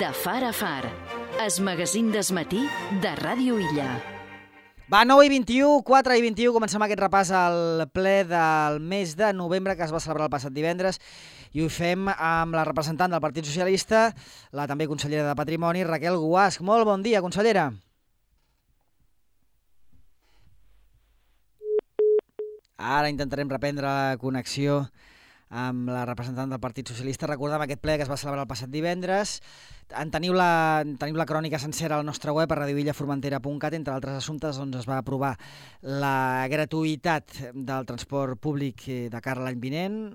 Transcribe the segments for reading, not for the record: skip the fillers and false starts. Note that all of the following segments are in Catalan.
De far a far, es magazín d'esmatí de Ràdio Illa. Va, 9:21, 4:21, comencem aquest repàs al ple del mes de novembre que es va celebrar el passat divendres i ho fem amb la representant del Partit Socialista, la també consellera de Patrimoni, Raquel Guasch. Molt bon dia, consellera. Ara intentarem reprendre la connexió amb la representant del Partit Socialista. Recordem aquest ple que es va celebrar el passat divendres. Teniu la crònica sencera al nostre web a radioillaformentera.cat. Entre altres assumptes, doncs, es va aprovar la gratuïtat del transport públic de cara a l'any vinent,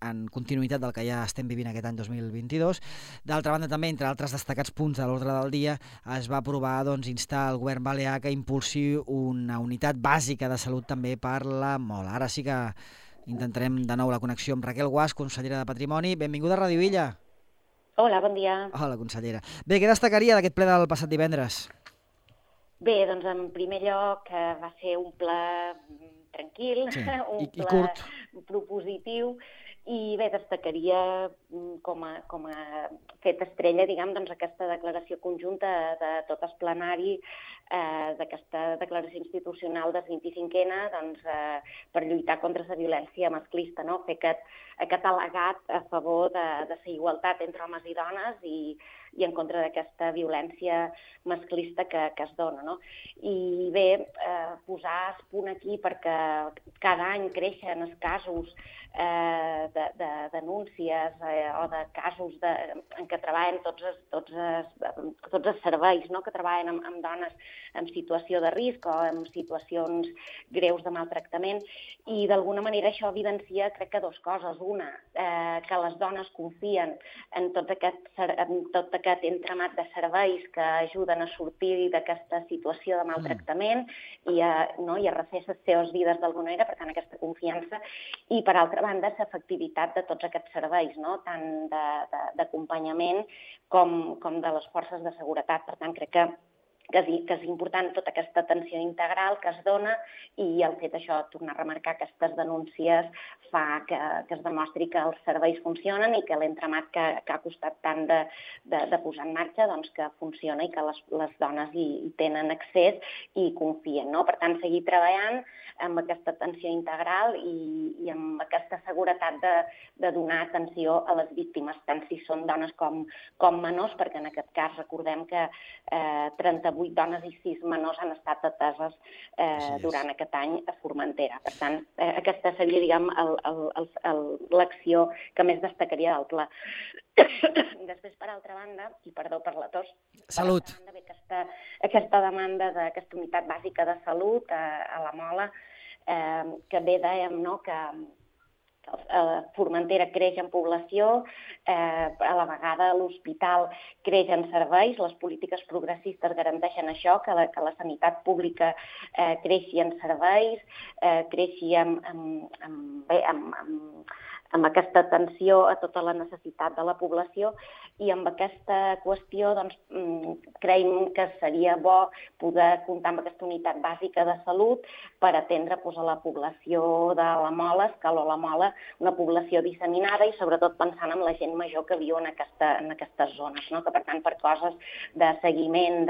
en continuïtat del que ja estem vivint aquest any 2022. D'altra banda, també, entre altres destacats punts de l'ordre del dia, es va aprovar instar el govern balear que impulsi una unitat bàsica de salut també per la Mola. Ara sí que intentarem de nou la connexió amb Raquel Guasch, consellera de Patrimoni. Benvinguda a Ràdio Illa. Hola, bon dia. Hola, consellera. Bé, què destacaria d'aquest ple del passat divendres? Bé, doncs en primer lloc va ser un ple tranquil, Sí, un i ple curt. propositiu, i bé, destacaria com a fet estrella, diguem, doncs aquesta declaració conjunta de tot el plenari d'aquesta declaració institucional del 25N per lluitar contra la violència masclista, no? Fer aquest al·legat a favor de la igualtat entre homes i dones i en contra d'aquesta violència masclista que es dona, no? I bé, posar el punt aquí perquè cada any creixen els casos de denúncies o de casos en què treballen tots els serveis, no? Que treballen amb dones en situació de risc o en situacions greus de maltractament, i d'alguna manera això evidencia, crec que dues coses. Una, que les dones confien en tot aquest entramat de serveis que ajuden a sortir d'aquesta situació de maltractament i a refer les seves vides d'alguna manera, per tant, aquesta confiança, i per altra banda, l'efectivitat de tots aquests serveis, no? Tant d'acompanyament com de les forces de seguretat. Per tant, crec que és important tota aquesta atenció integral que es dona, i el fet això, tornar a remarcar aquestes denúncies, fa que es demostri que els serveis funcionen i que l'entramat que ha costat tant de posar en marxa, doncs que funciona i que les dones hi tenen accés i confien, no? Per tant, seguir treballant amb aquesta atenció integral i amb aquesta seguretat de donar atenció a les víctimes, tant si són dones com menors, perquè en aquest cas recordem que 38 dones i 6 menors han estat ateses durant aquest any a Formentera. Per tant, aquesta seria, diguem, l'acció que més destacaria del pla. Després, per altra banda, i perdó per la tos, Salut. Per altra banda, aquesta demanda d'aquesta unitat bàsica de salut a la Mola, que bé dèiem, no?, que Formentera creix en població, a la vegada l'hospital creix en serveis, les polítiques progressistes garanteixen això, que la sanitat pública creixi en serveis, creixi amb aquesta atenció a tota la necessitat de la població, i amb aquesta qüestió creiem que seria bo poder comptar amb aquesta unitat bàsica de salut per atendre a la població de la Mola, Escaló la Mola, una població disseminada i sobretot pensant en la gent major que viu en aquestes zones, no? Que per tant per coses de seguiment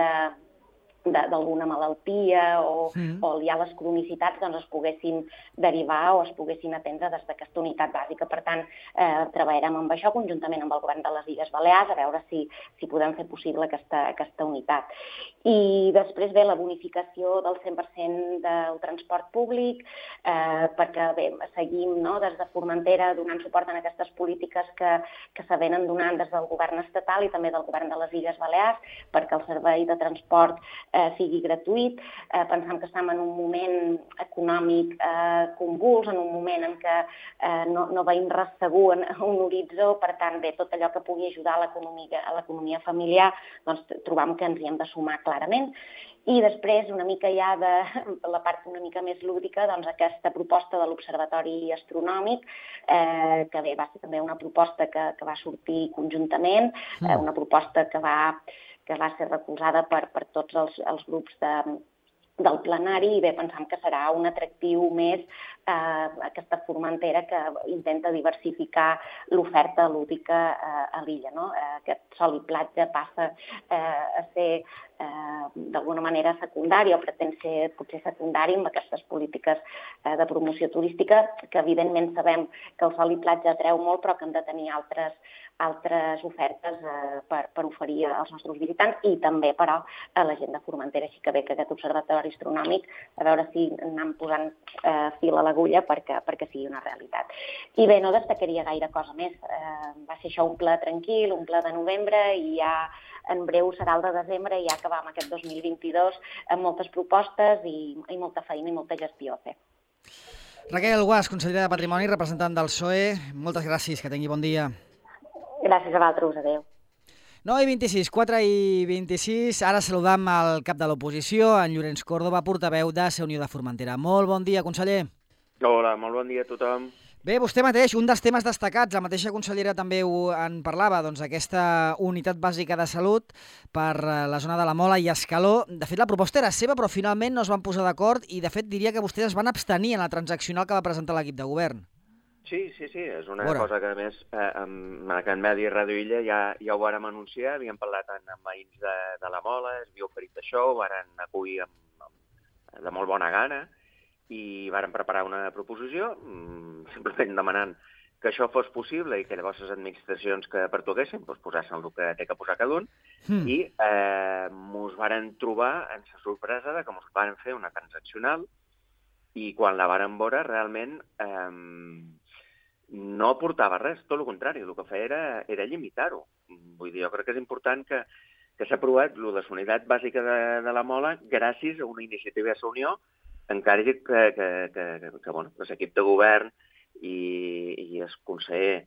d'alguna malaltia o ja les cronicitats es poguessin derivar o es poguessin atendre des d'aquesta unitat bàsica. Per tant, treballarem amb això conjuntament amb el govern de les Illes Balears a veure si podem fer possible aquesta unitat. I després, bé, la bonificació del 100% del transport públic, perquè bé, seguim des de Formentera donant suport en aquestes polítiques que se venen donant des del govern estatal i també del govern de les Illes Balears perquè el servei de transport sigui gratuït. Pensem que estem en un moment econòmic convuls, en un moment en què no veiem res segur en un horitzó, per tant, bé, tot allò que pugui ajudar a l'economia familiar, doncs trobam que ens hi hem de sumar clarament. I després, una mica ja de la part una mica més lúdica, doncs aquesta proposta de l'Observatori Astronòmic, que bé, va ser també una proposta que va sortir conjuntament, una proposta que va ser recolzada per tots els grups del plenari, i bé, pensam que serà un atractiu més aquesta Formentera que intenta diversificar l'oferta lúdica a l'illa, no? Aquest sol i platja passa a ser d'alguna manera secundari, o pretén ser potser secundari amb aquestes polítiques de promoció turística, que evidentment sabem que el sol i platja atreu molt, però que hem de tenir altres ofertes per oferir als nostres visitants, i també, però, a la gent de Formentera. Així que bé que aquest observatori astronòmic, a veure si anem posant fil a l'agulla perquè sigui una realitat. I bé, no destacaria gaire cosa més. Va ser això un ple tranquil, un ple de novembre, i ja en breu serà el de desembre, i ja acabam aquest 2022 amb moltes propostes i molta feina i molta gestió a fer. Raquel Guas, consellera de Patrimoni, representant del PSOE, moltes gràcies, que tingui bon dia. Gràcies a vosaltres, adéu. 9:26, 4:26, ara saludam el cap de l'oposició, en Llorenç Córdoba, portaveu de Ser Unió de Formentera. Molt bon dia, conseller. Hola, molt bon dia a tothom. Bé, vostè mateix, un dels temes destacats, la mateixa consellera també en parlava, doncs aquesta unitat bàsica de salut per la zona de la Mola i Escaló. De fet, la proposta era seva, però finalment no es van posar d'acord i, de fet, diria que vostès es van abstenir en la transaccional que va presentar l'equip de govern. Sí, és una cosa que, a més, en aquest medi Ràdio Illa ja ho vàrem anunciar, havíem parlat amb veïns de la Mola, es havia oferit això, ho varen acollir de molt bona gana, i varen preparar una proposició, simplement demanant que això fos possible i que llavors les administracions que pertoquessin posessin el que té que posar cada un, i mos varen trobar en la sorpresa de que mos varen fer una transaccional, i quan la varen veure realment no aportava res, tot el contrari, el que feia era limitar-ho. Vull dir, jo crec que és important que s'ha aprovat la unitat bàsica de la Mola gràcies a una iniciativa de la Unió, encara que l'equip de govern i el conseller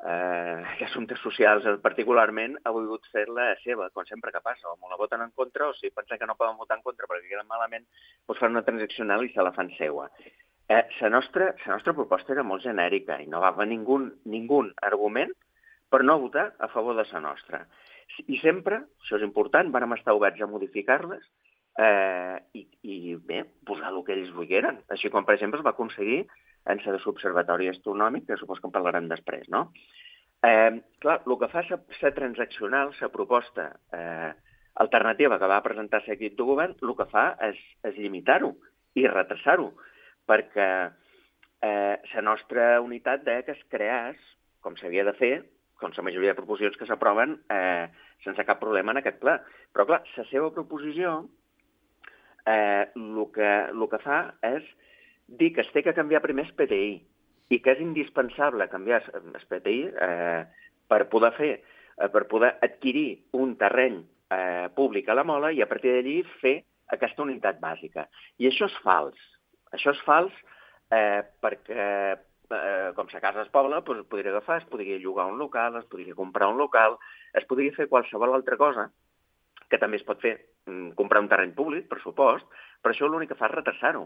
d'Assumptes Socials particularment ha volgut fer-la seva, com sempre que passa, o la voten en contra, o si pensen que no poden votar en contra perquè queden malament, doncs fan una transaccional i se la fan seua. La nostra proposta era molt genèrica i no va haver ningú argument per no votar a favor de la nostra. I sempre, això és important, vàrem estar oberts a modificar-les i bé, posar el que ells volgueren. Així com, per exemple, es va aconseguir en la de l'Observatori Astronòmic, que supos que en parlarem després, no? Clar, el que fa la transaccional, la proposta alternativa que va presentar l'equip de govern, el que fa és limitar-ho i retrasar-ho, perquè la nostra unitat deia que es creés, com s'havia de fer, com la majoria de proposicions que s'aproven, sense cap problema en aquest ple. Però, clar, la seva proposició el que fa és dir que es té que canviar primer el PTI i que és indispensable canviar el PTI per poder adquirir un terreny públic a la Mola i a partir d'allí fer aquesta unitat bàsica. I això és fals. Això és fals perquè, com la casa es pobla, es podria agafar, es podria llogar un local, es podria comprar un local, es podria fer qualsevol altra cosa, que també es pot fer, comprar un terreny públic, per supost, però això l'únic que fa és retrasar-ho.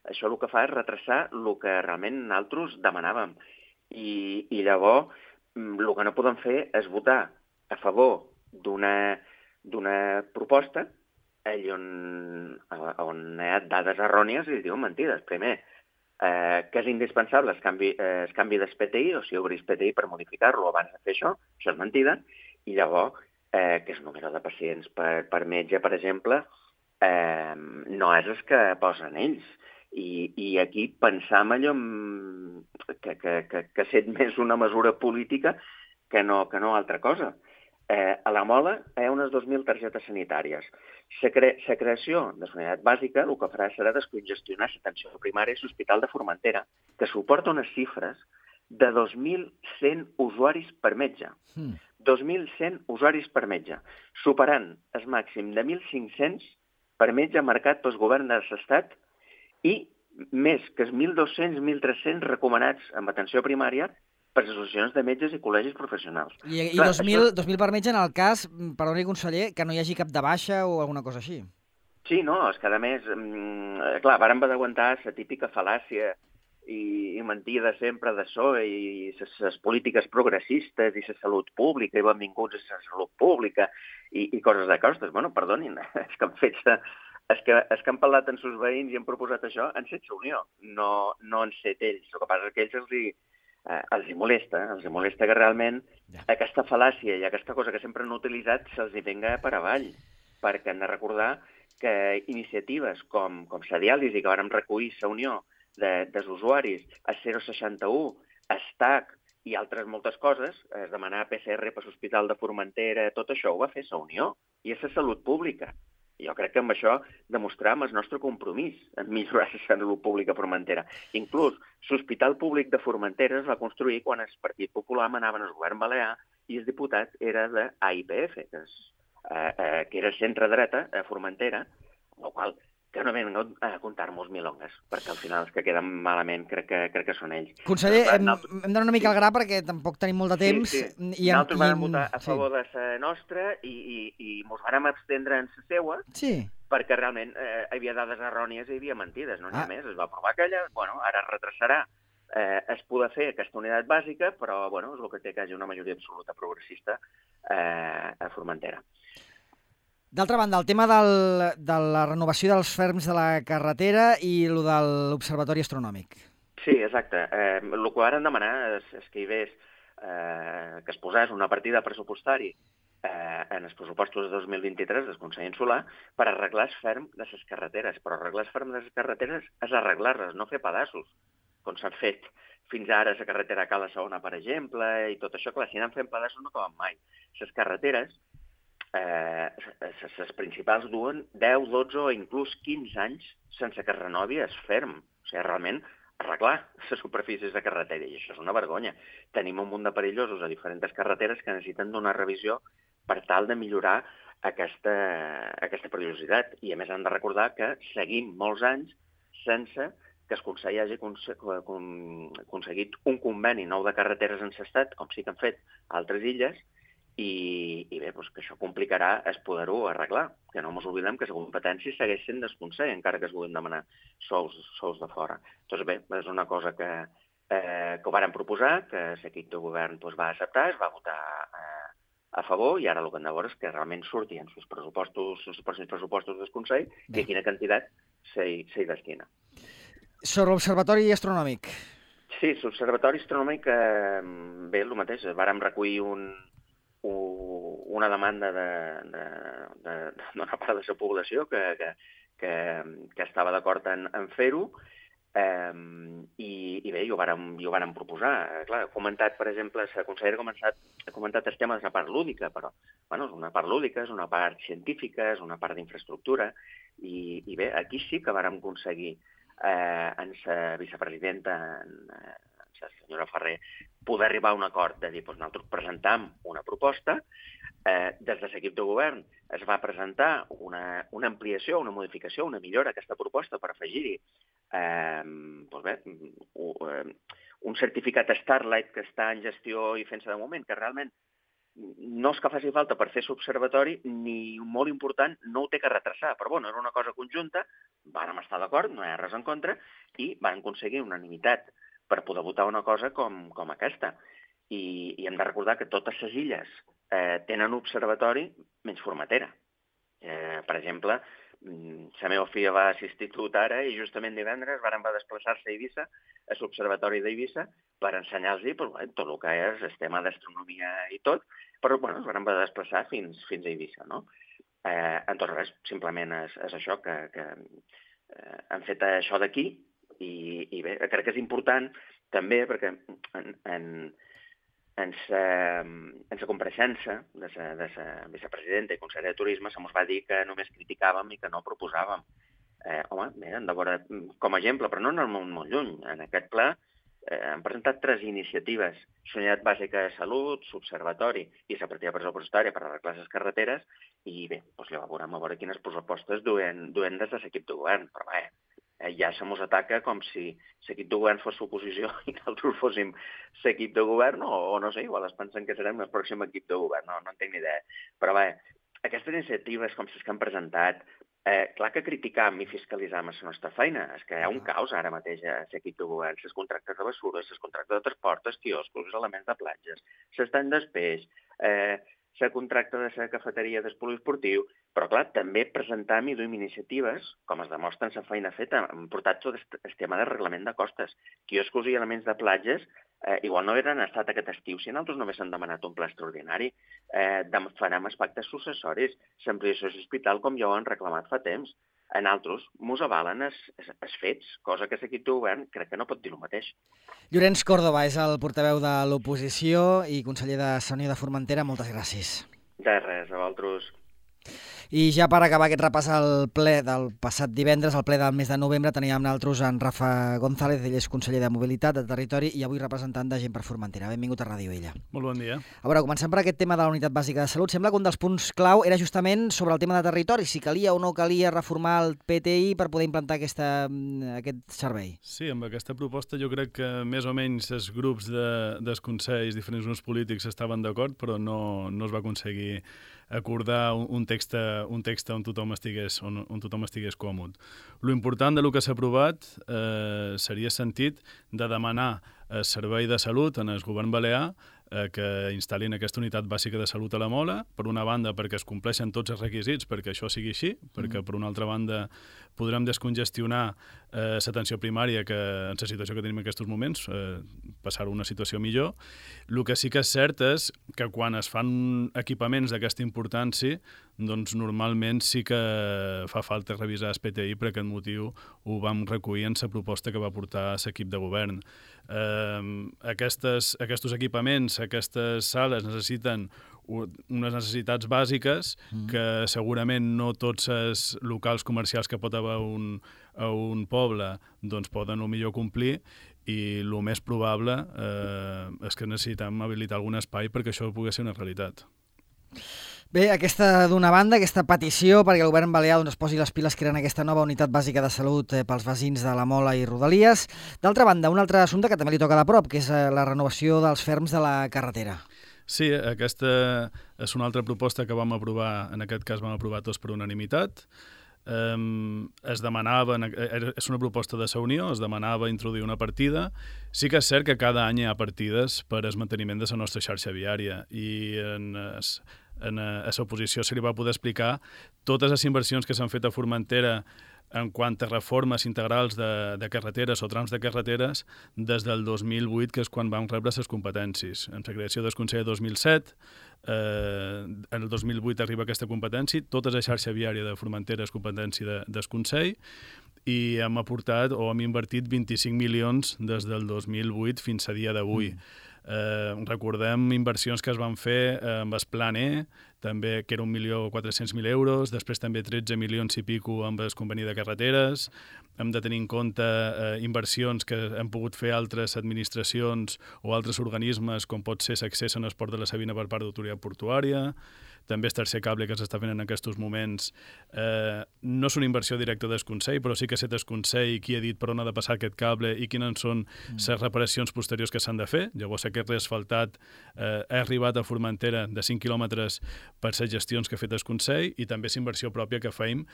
Això el que fa és retrasar el que realment nosaltres demanàvem. I llavors el que no podem fer és votar a favor d'una proposta on hi ha dades errònies i diuen mentides. Primer, que és indispensable el canvi del PTI, o sigui, obrir el PTI per modificar-lo abans de fer això és mentida, i llavors que el número de pacients per metge, per exemple, no és el que posen ells. I aquí pensam allò que sent més una mesura política que no altra cosa. A la Mola hi ha unes 2.000 targetes sanitàries. La creació de la unitat bàsica el que farà serà descongestionar l'atenció primària i l'Hospital de Formentera, que suporta unes xifres de 2.100 usuaris per metge. 2.100 usuaris per metge, superant el màxim de 1.500 per metge marcat pel govern de l'Estat i més que els 1.200, 1.300 recomanats amb atenció primària per associacions de metges i col·legis professionals. I 2.000 per metge en el cas, perdoni conseller, que no hi hagi cap de baixa o alguna cosa així. Sí, no, és que a més, clar, vàrem d'aguantar la típica fal·làcia i mentida sempre d'això i les polítiques progressistes i la salut pública i benvinguts a la salut pública i coses d'aquestes. Bueno, perdonin, és que han fet els que han parlat amb els veïns i han proposat això han set la Unió, no han set ells. El que passa és que ells els hi molesta que realment aquesta fal·làcia i aquesta cosa que sempre han utilitzat se'ls hi venga per avall, perquè han de recordar que iniciatives com la diàlisi, que vàrem recollir la Unió dels usuaris, el 061, ESTAC i altres moltes coses, demanar PCR per l'Hospital de Formentera, tot això ho va fer la Unió, i és la salut pública. Jo crec que amb això demostràvem el nostre compromís en millorar la salut pública a Formentera. Inclús l'Hospital Públic de Formentera es va construir quan el Partit Popular manava en el govern balear i el diputat era de AIPF, que era centre-dreta a Formentera, el qual que no venen a contar-nos milongues, perquè al final els que queden malament crec que són ells. Conseller, hem d'anar una mica al gra perquè tampoc tenim molt de temps. Sí. Nosaltres vam votar a favor de la nostra i ens vam abstendre en la seua, perquè realment hi havia dades errònies i hi havia mentides, no n'hi ha més. Es va aprovar aquella, ara es retrasarà. Es poder fer aquesta unitat bàsica, però és el que té que hi hagi una majoria absoluta progressista a Formentera. D'altra banda, el tema de la renovació dels ferms de la carretera i el de l'Observatori Astronòmic. Sí, exacte. El que varen demanar és que hi hagués, que es posés una partida pressupostari en els pressupostos de 2023 del Consell Insular per arreglar el ferm de les carreteres. Però arreglar el ferm de les carreteres és arreglar-les, no fer pedaços, com s'han fet fins ara a la carretera Cala Saona, per exemple, i tot això. Clar, si anem fent pedaços no acaben mai. Les carreteres, les principals duen 10, 12 o inclús 15 anys sense que es renovi el ferm. O sigui, realment, arreglar les superfícies de carretera, i això és una vergonya. Tenim un munt de perillosos a diferents carreteres que necessiten donar revisió per tal de millorar aquesta perillositat. I a més hem de recordar que seguim molts anys sense que el Consell hagi aconseguit un conveni nou de carreteres en l'estat, com sí que han fet altres illes, i bé, que això complicarà es poder-ho arreglar, que no ens oblidem que la competència segueix sent del Consell, encara que es vulguin demanar sous de fora. Doncs bé, és una cosa que ho varen proposar, que l'equip de govern va acceptar, es va votar a favor, i ara el que hem de veure és que realment surti en els pressupostos del Consell i a quina quantitat s'hi destina. Sobre l'Observatori Astronòmic. Sí, l'Observatori Astronòmic, bé, el mateix, vàrem recollir una demanda d'una part de la població que estava d'acord en fer-ho, i bé, ho vàrem proposar. Clar, ha comentat, per exemple, la consellera ha comentat el tema de la part lúdica, però és una part lúdica, és una part científica, és una part d'infraestructura, i bé, aquí sí que vàrem aconseguir en la vicepresidenta, la senyora Ferrer, poder arribar a un acord de dir, nosaltres presentam una proposta, des de l'equip de govern es va presentar una ampliació, una modificació, una millora a aquesta proposta per afegir-hi un certificat Starlight que està en gestió i fent-se de moment, que realment no és que faci falta per fer l'observatori, ni molt important, no ho té que retrasar, però era una cosa conjunta, vàrem estar d'acord, no hi ha res en contra, i van aconseguir unanimitat per poder votar una cosa com aquesta. I hem de recordar que totes les illes tenen observatori menys Formentera. Per exemple, la meva filla va a l'institut ara i justament divendres va desplaçar-se a Eivissa, a l'observatori d'Eivissa, per ensenyar-los tot el que és el tema d'astronomia i tot, però es van desplaçar fins a Eivissa, no? En tot res, simplement és això, que han fet això d'aquí, i bé, crec que és important també perquè en la compareixença de la vicepresidenta i consellera de Turisme se'ns va dir que només criticàvem i que no proposàvem. Home, bé, hem de veure com a exemple, però no anem molt lluny. En aquest ple han presentat 3 iniciatives: l'Unitat Bàsica de Salut, l'Observatori i la partida pressupostària per arreglar les carreteres, i bé, ja veurem a veure quines propostes duen des de l'equip de govern, però bé, ja se mos ataca com si l'equip de govern fos l'oposició i nosaltres fóssim l'equip de govern, o no sé, igual es pensen que serem el pròxim equip de govern, no en tinc ni idea. Però bé, aquestes iniciatives com les que han presentat, clar que criticam i fiscalitzam la nostra feina, és que hi ha un caos ara mateix a l'equip de govern, les contractes de bessures, les contractes de transport, els quioscos, els elements de platges, l'estany d'espeix, la contracta de la cafeteria del poliesportiu, però, clar, també presentam i duim iniciatives, com es demostra en la feina feta. Hem portat tot el tema de reglament de costes. Quioscos i elements de platges igual no haurien estat aquest estiu si nosaltres només hem demanat un pla extraordinari. Farem els pactes successoris, l'ampliació de l'hospital, com ja ho han reclamat fa temps. En altres, mos avalen els fets, cosa que l'equip de govern crec que no pot dir el mateix. Llorenç Córdoba és el portaveu de l'oposició i conseller de Unió de Formentera. Moltes gràcies. De res, a vosaltres. I ja per acabar aquest repàs al ple del passat divendres, al ple del mes de novembre, teníem nosaltres en Rafa González, ell és conseller de Mobilitat, de Territori i avui representant de Gent per Formentera. Benvingut a Ràdio Illa. Molt bon dia. A veure, comencem per aquest tema de la Unitat Bàsica de Salut. Sembla que un dels punts clau era justament sobre el tema de territori, si calia o no calia reformar el PTI per poder implantar aquest servei. Sí, amb aquesta proposta jo crec que més o menys els grups dels consells, diferents grups polítics estaven d'acord, però no es va aconseguir acordar un text on tothom estigués còmode. Lo important del que s'ha aprovat seria sentit de demanar al Servei de Salut en el govern balear que instal·lin aquesta unitat bàsica de salut a la Mola, per una banda perquè es compleixen tots els requisits perquè això sigui així, perquè per una altra banda podrem descongestionar l'atenció primària que en la situació que tenim en aquests moments, passar a una situació millor. El que sí que és cert és que quan es fan equipaments d'aquesta importància, doncs normalment sí que fa falta revisar el PTI, per aquest motiu ho vam recollir en la proposta que va portar l'equip de govern. Aquests equipaments, aquestes sales necessiten unes necessitats bàsiques que segurament no tots els locals comercials que pot haver a un poble doncs poden o millor complir, i el més probable és que necessitem habilitar algun espai perquè això pugui ser una realitat. Bé, aquesta d'una banda, aquesta petició perquè el govern balear es posi les piles creant aquesta nova unitat bàsica de salut pels veïns de la Mola i Rodalies. D'altra banda, un altre assumpte que també li toca de prop, que és la renovació dels ferms de la carretera. Sí, aquesta és una altra proposta que vam aprovar, en aquest cas vam aprovar tots per unanimitat. Es demanava, és una proposta de la Unió, es demanava introduir una partida. Sí que és cert que cada any hi ha partides per al manteniment de la nostra xarxa viària, i a l'oposició se li va poder explicar totes les inversions que s'han fet a Formentera en quant a reformes integrals de carreteres o trams de carreteres des del 2008, que és quan vam rebre les competències. En la creació del Consell de 2007, en el 2008 arriba aquesta competència, tota la xarxa viària de Formentera és competència del Consell, i hem aportat o hem invertit 25 milions des del 2008 fins a dia d'avui. Recordem inversions que es van fer amb el Plan E, també, que era 1.400.000 euros, després també 13 milions i pico amb el conveni de carreteres. Hem de tenir en compte inversions que hem pogut fer altres administracions o altres organismes, com pot ser l'accés a l'esport de la Sabina per part d'autoritat portuària. També el tercer cable que s'està fent en aquests moments. No és una inversió directa del Consell, però sí que és el Consell qui ha dit per on ha de passar aquest cable i quines són les reparacions posteriors que s'han de fer. Llavors aquest reasfaltat ha arribat a Formentera de 5 quilòmetres per les gestions que ha fet el Consell, i també és inversió pròpia que feim,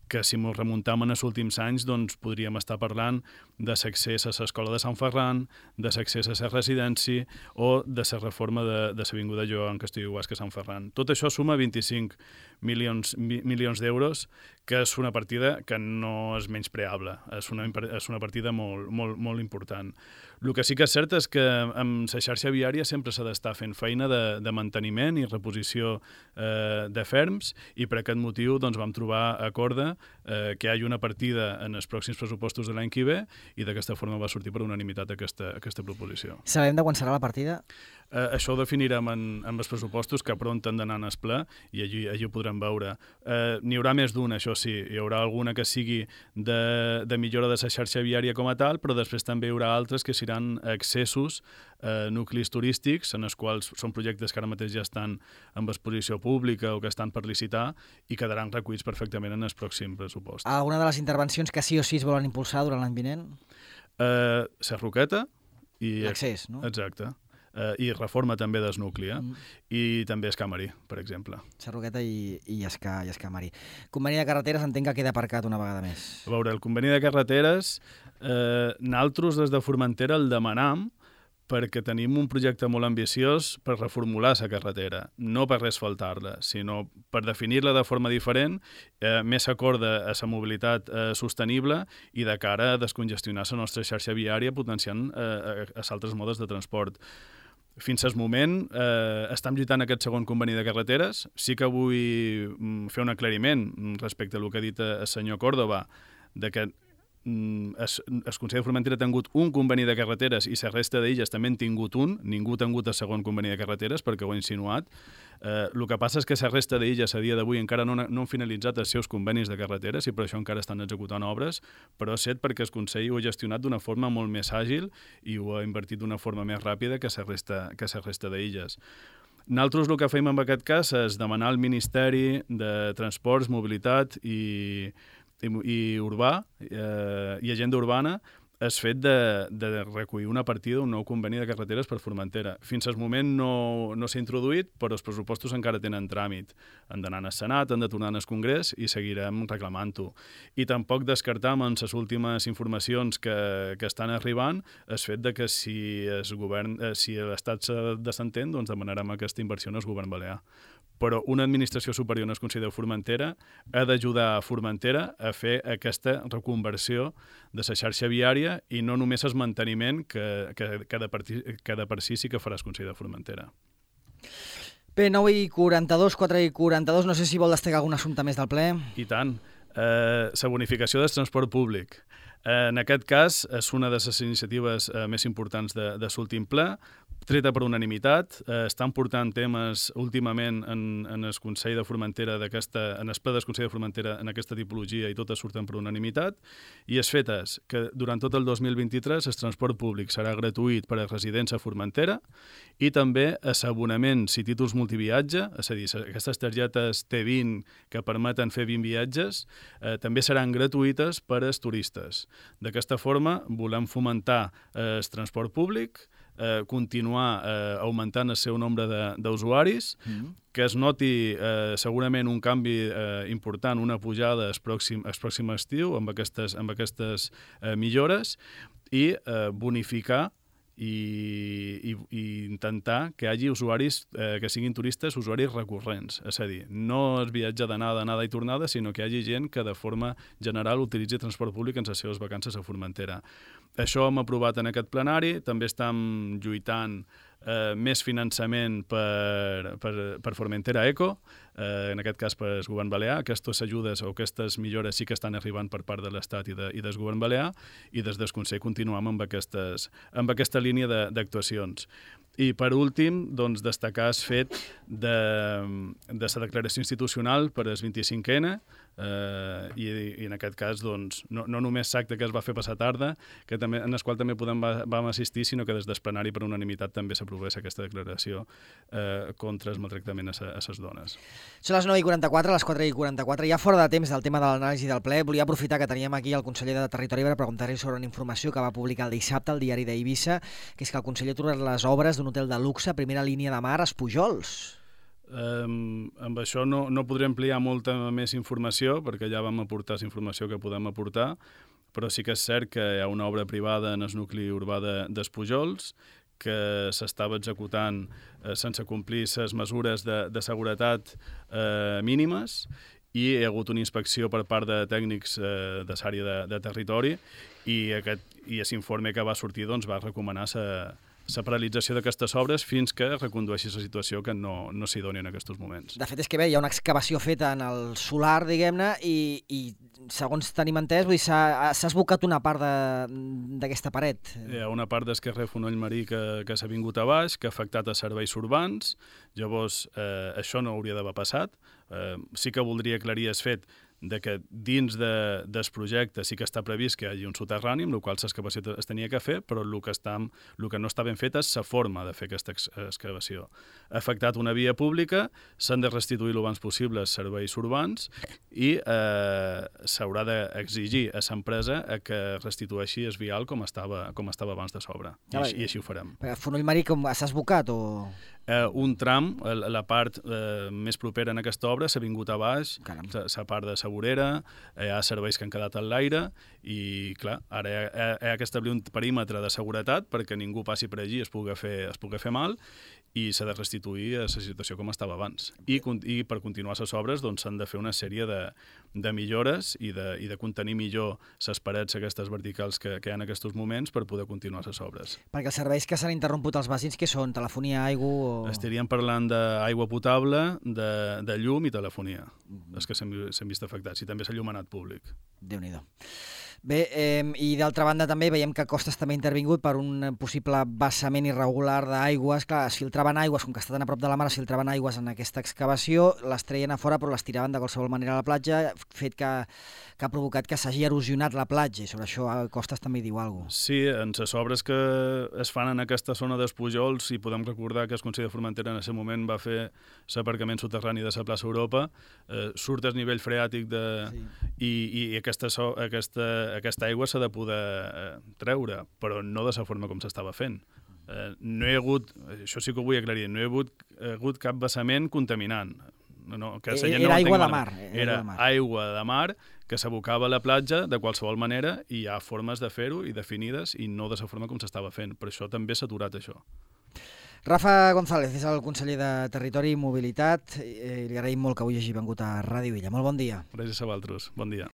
que si ens remuntam en els últims anys doncs podríem estar parlant de l'accés a l'Escola de Sant Ferran, de l'accés a la residència o de la reforma de l'Avinguda Joan Castelló-Guasca-Sant Ferran. Tot això suma 25 milions d'euros, que és una partida que no és menyspreable, és una partida molt important. El que sí que és cert és que amb la xarxa viària sempre s'ha d'estar fent feina de manteniment i reposició de ferms, i per aquest motiu doncs, vam trobar a corda que hi hagi una partida en els pròxims pressupostos de l'any que ve, i d'aquesta forma va sortir per unanimitat aquesta proposició. Sabem de quan serà la partida? Això ho definirem en els pressupostos, que pront han d'anar en el ple, i allí ho podrem veure. N'hi haurà més d'una, això sí. Hi haurà alguna que sigui de millora de la xarxa viària com a tal, però després també hi haurà altres que seran accessos a nuclis turístics, en els quals són projectes que ara mateix ja estan en exposició pública o que estan per licitar, i quedaran recollits perfectament en el pròxim pressupost. Alguna de les intervencions que sí o sí es volen impulsar durant l'any vinent? La Roqueta i... L'accés, no? Exacte. I reforma també del nucli, i també Escamarí, per exemple. Sarroqueta i Escamarí. Conveni de carreteres entenc que queda aparcat una vegada més. A veure, el conveni de carreteres, nosaltres des de Formentera el demanam perquè tenim un projecte molt ambiciós per reformular la carretera, no per resfaltar-la, sinó per definir-la de forma diferent, més acorda a la mobilitat sostenible i de cara a descongestionar la nostra xarxa viària potenciant els altres modes de transport. Fins al moment estem lluitant aquest segon conveni de carreteres. Sí que vull fer un aclariment respecte a el que ha dit el senyor Córdoba, de que el Consell de Formentera ha tingut un conveni de carreteres i la resta d'illes també han tingut un, ningú ha tingut el segon conveni de carreteres perquè ho ha insinuat. El que passa és que la resta d'illes a dia d'avui encara no han finalitzat els seus convenis de carreteres i per això encara estan executant obres, però set perquè el Consell ho ha gestionat d'una forma molt més àgil i ho ha invertit d'una forma més ràpida que la resta d'illes. Nosaltres el que fem en aquest cas és demanar al Ministeri de Transports, Mobilitat i urbà i agenda urbana el fet de recollir una partida d'un nou conveni de carreteres per Formentera. Fins al moment no s'ha introduït, però els pressupostos encara tenen tràmit. Han d'anar al Senat, han de tornar al Congrés i seguirem reclamant-ho. I tampoc descartam en les últimes informacions que estan arribant el fet de que si l'Estat se desentén, doncs demanarem aquesta inversió al govern balear. Però una administració superior en el Consell de Formentera ha d'ajudar a Formentera a fer aquesta reconversió de la xarxa viària i no només el manteniment que de per si sí que farà el Consell de Formentera. Bé, 9:42, 4:42, no sé si vol destacar algun assumpte més del ple. I tant. La bonificació del transport públic. En aquest cas, és una de les iniciatives més importants de l'últim ple, treta per unanimitat. Estan portant temes últimament en el Consell de Formentera, en el ple del Consell de Formentera en aquesta tipologia i totes surten per unanimitat. I el fet és que durant tot el 2023 el transport públic serà gratuït per a residents a Formentera i també els abonaments i títols multiviatge, és a dir, aquestes targetes T20 que permeten fer 20 viatges, també seran gratuïtes per als turistes. D'aquesta forma, volem fomentar el transport públic, continuar augmentant el seu nombre d'usuaris, que es noti segurament un canvi important, una pujada el pròxim estiu amb aquestes millores i bonificar i intentar que hi hagi usuaris que siguin turistes, usuaris recurrents. És a dir, no es viatja d'anada i tornada, sinó que hi hagi gent que de forma general utilitzi transport públic en les seves vacances a Formentera. Això hem aprovat en aquest plenari, també estem lluitant més finançament per Formentera Eco, en aquest cas per el govern balear. Aquestes ajudes o aquestes millores sí que estan arribant per part de l'Estat i del govern balear i des del Consell continuem amb aquesta línia d'actuacions. I per últim, doncs, destacar el fet de la declaració institucional per al 25N i en aquest cas doncs, no només l'acte que es va fer passar tarda, en el qual també vam assistir, sinó que des del plenari per unanimitat també s'aprovés aquesta declaració contra el maltractament a les dones. Són les 9:44, les 4:44, ja fora de temps del tema de l'anàlisi del ple. Volia aprofitar que teníem aquí el conseller de Territori per preguntar-li sobre una informació que va publicar el dissabte al diari d'Eivissa, que és que el conseller ha aturat les obres d'un hotel de luxe, primera línia de mar, a Pujols. Amb això no podré ampliar molta més informació, perquè ja vam aportar la informació que podem aportar, però sí que és cert que hi ha una obra privada en el nucli urbà d'Espujols que s'estava executant sense complir les mesures de seguretat mínimes i hi ha hagut una inspecció per part de tècnics de l'àrea de territori i l'informe que va sortir doncs, va recomanar la paralització d'aquestes obres fins que recondueixi la situació que no s'hi doni en aquests moments. De fet, és que bé, hi ha una excavació feta en el solar, diguem-ne, i segons tenim entès, s'ha esbocat una part d'aquesta paret. Hi ha una part del carrer Fonoll Marí que s'ha vingut a baix, que ha afectat a serveis urbans. Llavors, això no hauria d'haver passat. Sí que voldria aclarir el fet de que dins del projecte sí que està previst que hi hagi un soterrani, amb el qual l'excavació es tenia que fer, però el que no està ben fet és la forma de fer aquesta excavació. Ha afectat una via pública, s'han de restituir el abans possible els serveis urbans i s'haurà d'exigir a l'empresa que restitueixi el vial com estava abans de s'obra. I així ho farem. Fonoll Marí s'ha esbocat o...? un tram, la part més propera en aquesta obra, s'ha vingut a baix, la part de Segurera, hi ha serveis que han quedat en l'aire i, clar, ara hi ha que establir un perímetre de seguretat perquè ningú passi per allí i es pugui fer mal, i s'ha de restituir a la situació com estava abans. I per continuar les obres s'han de fer una sèrie de millores i de contenir millor les parets aquestes verticals que hi ha en aquests moments per poder continuar les obres. Perquè els serveis que s'han interromput als veïns, què són? Telefonia, aigua o... Estaríem parlant d'aigua potable, de llum i telefonia, els que s'han vist afectats, i també s'ha públic. Déu-n'hi-do. Bé, i d'altra banda també veiem que Costes també ha intervingut per un possible vessament irregular d'aigües. Clar, es filtraven aigües, com que està tan a prop de la mar, es filtraven aigües en aquesta excavació, les treien a fora però les tiraven de qualsevol manera a la platja, fet que ha provocat que s'hagi erosionat la platja, i sobre això Costes també hi diu alguna cosa. Sí, en les obres que es fan en aquesta zona dels Pujols, i podem recordar que el Consell de Formentera en aquest moment va fer l'aparcament soterrani de la plaça Europa, surt el nivell freàtic i aquesta aigua s'ha de poder treure, però no de la forma com s'estava fent. No hi ha hagut, això sí que ho vull aclarir, no hi ha hagut cap vessament contaminant. Era aigua de mar. Era aigua de mar que s'abocava a la platja de qualsevol manera, i hi ha formes de fer-ho i definides, i no de la forma com s'estava fent. Per això també s'ha aturat això. Rafa González és el conseller de Territori i Mobilitat. Li agraïm molt que avui hagi vengut a Ràdio Illa. Molt bon dia. Gràcies a vosaltres. Bon dia.